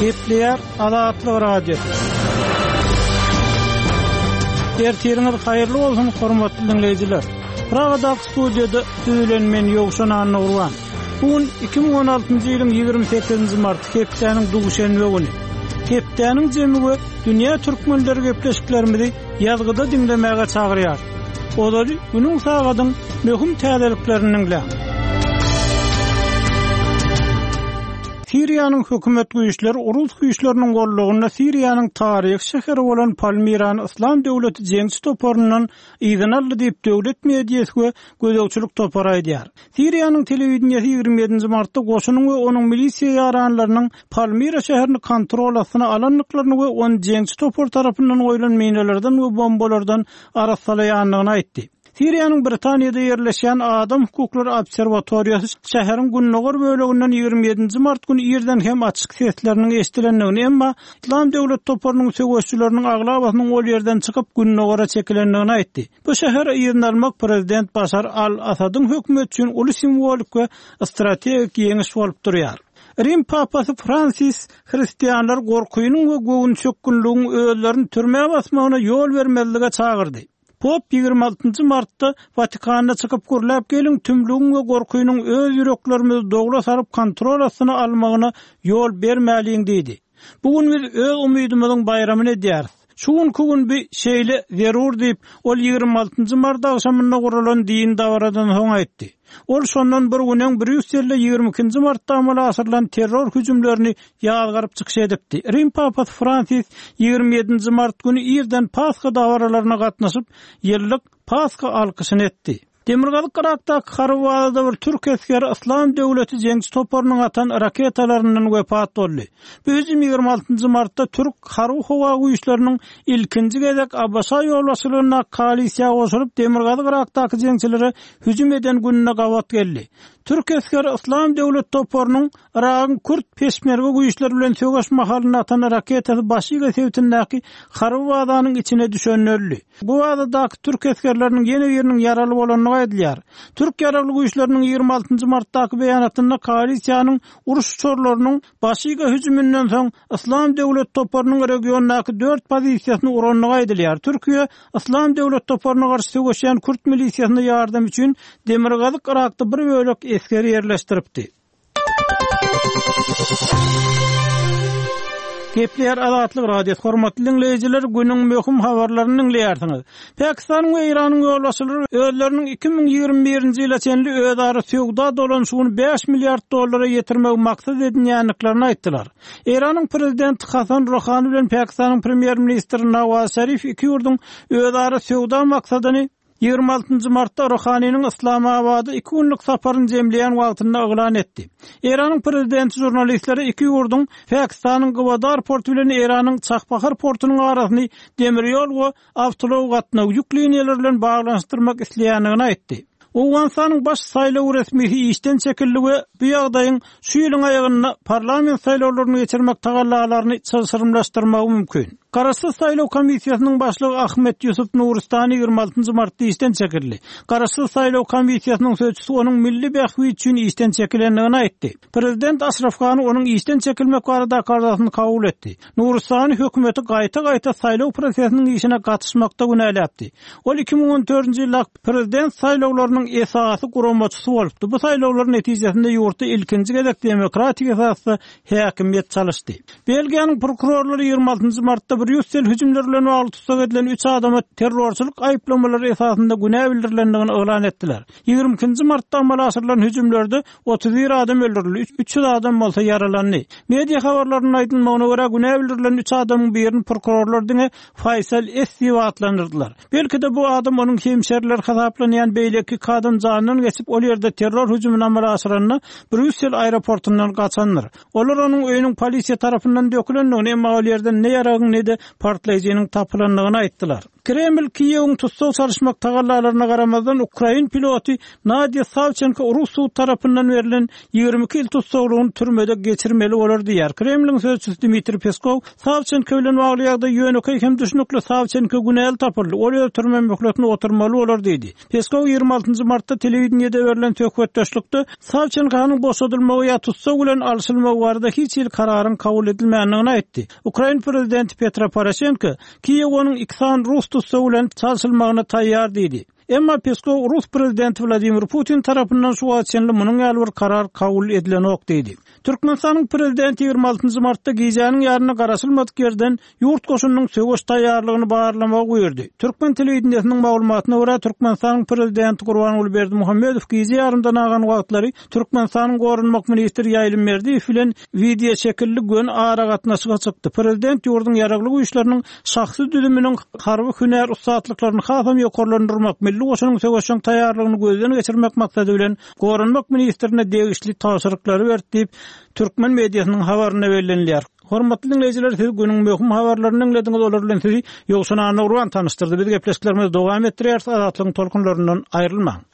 Gepleýär Azatlyk Radiosy. Ertiriňiz haýyrly bolsun, hormatly diňleýjiler. Pragadaky studiýada siz bilen men Ýowşan Annagurban. Bu gün 2016-njy ýylyň 28-nji marty, hepdäniň duşenbe güni. Hepdäniň jemi we dünýä türkmenleri gepleşiklerimizi ýazgyda diňlemäge çagyrýar. Ozaly günüň sagadyň möhüm täzeliklerini diňläň. Siriýanyň hökümet güýçleri rus güýçleriniň gollagynda Siriýanyň taryhy şäheri bolan Palmirany Yslam döwleti jeňçi toparyndan yzyna aldy diýip, döwlet mediasy we gözegçilik topary aýdýar. Siriýanyň telewideniýesi 27-nji martda goşunyň we onuň milisiýa ýaranlarynyň Palmira şäherini kontrol astyna alandyklaryny we ony jeňçi topar tarapyndan goýlan minalardan we bombalardan arassalaýandygyny aýtdy. Siriýanyň Britaniýada ýerleşýän Adam hukuklary obserwatoriýasy şäheriň gündogar böleginden 27-nji mart güni irden hem açyk sesleriniň eşidilendigini, emma Yslam döwlet toparynyň söweşçileriniň aglabasynyň ol ýerden çykyp, gündogara çekilendigini aýtdy. Bu şäheri yzyna almak prezident Başar al-Asadyň hökümeti üçin uly simwolik we strategik ýeňiş bolup durýar. Rim papasy Fransis hristianlary gorkynyň we göwünçökgünligiň özlerini türmä basmagyna ýol bermezlige çagyrdy. Pop 26 martda Watikanda çykyp gürläp geliň tümlügiň we gorkynyň öz ýüreklerimizi dowla salyp kontrol astyna almagyna ýol bermäliň diýdi. Bu gün biz öz umydymyzyň baýramyny edýäris. Şu günki gün bi şeýle zerur diýip, ol 26 mart agşamynda guralan dini dabaradan soň aýtdy. Ol şondan bir gün öň Brýusselde 22-nji martda amala aşyrylan terror hüjümlerini ýazgaryp çykyş edipdi. Rim papasy Fransis 27-nji mart güni irden Pasha dabaralaryna gatnaşyp, ýyllyk Pasha alkyşyny etdi. Demirgazyk Yrakdaky harby bazada bir türk esgeri Yslam döwleti jeňçi toparynyň atan raketalaryndan wepat boldy. Bu hüjüm 26-njy martda türk harby-howa güýçleriniň ilkinji gezek ABŞ ýolbaşçylygyndaky koalisiýa goşulyp, Demirgazyk Yrakdaky jeňçilere hüjüm eden gününe gabat geldi. Türk esgeri Yslam döwlet toparynyň Yragyň kürt peşmerge güýçleri bilen söweş mahalynda atan raketasy Başiga sebitindäki harby bazanyň içine düşende öldi. Bu bazadaky türk esgerleriniň ýene biriniň ýaraly bolandygy aýdylýar. Türk ýaragly güýçleriniň 26 martdaky beýanatynda koalisiýanyň uruş uçarlarynyň Başiga hüjüminden soň Yslam döwlet toparynyň regiondaky dört pozisiýasyny urandygy aýdylýar. Türkiýe Yslam döwlet toparyna garşy söweşýän kürt milisiýasyna ýardam üçin Demirgazyk Yrakda bir bölek esger ýerleşdiripdi. Gepleýär Azatlyk Radiosy. Hormatly diňleýjiler, günüň möhüm habarlaryny diňleýärsiňiz. Pakistanyň we Eýranyň ýolbaşçylary özleriniň 2021-nji ýyla çenli özara söwda dolanyşygyny 5 milliard dollara ýetirmegi maksat edinýändiklerini aýtdylar. Eýranyň prezidenti Hasan Ruhani bilen Pakistanyň premýer-ministri Nawaz Şarif iki ýurduň özara söwda maksadyny 26-njy martda Ruhaniniň Yslamabada iki günlük saparyny jemleýän wagtynda yglan etdi. Eýranyň prezidenti žurnalistlere iki ýurduň Pakistanyň Gwadar porty bilen Eýranyň Çahbahar portunyň arasyny demir ýol we awtoulag gatnaw ýük liniýalary bilen baglanyşdyrmak isleýändigini aýtdy. Owganystanyň baş saýlaw resmisi işden çekildi we bu ýagdaýyň şu ýylyň aýagynda parlament saýlawlaryny geçirmek tagallalaryny çylşyrymlaşdyrmagy mümkin. Garaşsyz saýlaw komissiýasynyň başlygy Ahmet Ýusuf Nuristani 26 martda işden çekildi. Garaşsyz saýlaw komissiýasynyň sözçüsi onuň milli bähbit üçin işden çekilendigini aýtdy. Prezident Aşraf Gani onuň işden çekilmek baradaky arzasyny kabul etdi. Nuristani hökümeti gaýta-gaýta saýlaw prosesiniň işine gatyşmakda günäläpdi. Ol 2014-nji ýyldaky prezident saýlawlarynyň esasy guramaçysy bolupdy. Bu saýlawlar netijesinde ýurtda ilkinji gezek demokratik esasda häkimiýet çalyşdy. Belgiýanyň prokurorlary 26-njy martda Brýussel hüjümleri bilen bagly tussag edilen üç adama terrorçylyk aýyplamalary esasynda günä bildirilendigini yglan etdiler. 22-nji martda amala aşyrylan hüjümlerde 31 adam öldürildi, 300 adam bolsa ýaralandy. Media habarlarynda aýdylmagyna görä, günä bildirilen üç adamyň birini prokurorlar diňe Faýsal S. diýip atlandyrdylar. Belki-de bu adam onuň hemşerileri hasaplanýan beýleki iki adam janyndan geçip, ol ýerde terror hüjümini amala aşyranda Brýussel aeroportundan gaçandyr. Olar onuň öýüniň polisiýa tarapyndan dökülendigini, emma ol ýerden ne ýaragyň, ne-de partlaýjynyň tapylandygyny aýtdylar. Kreml Kiýewiň tussag çalyşmak tagallalaryna garamazdan, ukrain piloty Nadýa Sawçenko rus sud tarapyndan berlen 22 ýyl tussaglygyny türmede geçirmeli bolar diýýär. Kremliň sözçüsi Dmitriý Peskow Sawçenko bilen bagly ýagdaý ýönekeý hem düşnükli, Sawçenko günäli tapyldy, ol öz türme möhletini oturmaly bolar diýdi. Peskow 26 martda telewideniýede berlen söhbetdeşlikde Sawçenkonyň boşadylmagy ýa tussag bilen alşylmagy barada hiç hili kararyň kabul edilmändigini aýtdy. Ukrain prezidenti Petro Poroşenko Kiýew onuň iki sany rus tussagy bilen çalşylmagyna taýýar diýdi. Emma Peskow rus prezidenti Wladimir Putin tarapyndan şu wagta çenli munuň ýaly bir karar kabul edilenok diýdi. Türkmenistanyň prezidenti 26 martda gijäniň ýarynda garaşylmadyk ýerden ýurt goşunynyň söweş taýýarlygyny barlamagy buýurdy. Türkmen telewideniýesiniň maglumatyna görä, Türkmenistanyň prezidenti Gurbanguly Berdimuhamedow gije ýarymdan agan wagtlary Türkmenistanyň goranmak ministri Ýaýlym Berdiýew bilen wideoşekilli göni aragatnaşyga çykdy. Prezident ýurduň Ýaragly Güýçleriniň şahsy düzüminiň harby hünär ussatlyklaryny hasam ýokarlandyrmak, milli goşunyň söweşjeň taýýarlygyny gözden geçirmek maksady bilen, goranmak ministrine degişli tabşyryklary berdi diýip, türkmen mediasynyň habarynda bellenilýär. Hormatly diňleýjiler, siz günüň möhüm habarlaryny diňlediňiz, olar bilen sizi Ýowşan Annagurban tanyşdyrdy. Biz gepleşiklerimizi dowam etdirýäris, Azatlygyň tolkunlaryndan aýrylmaň!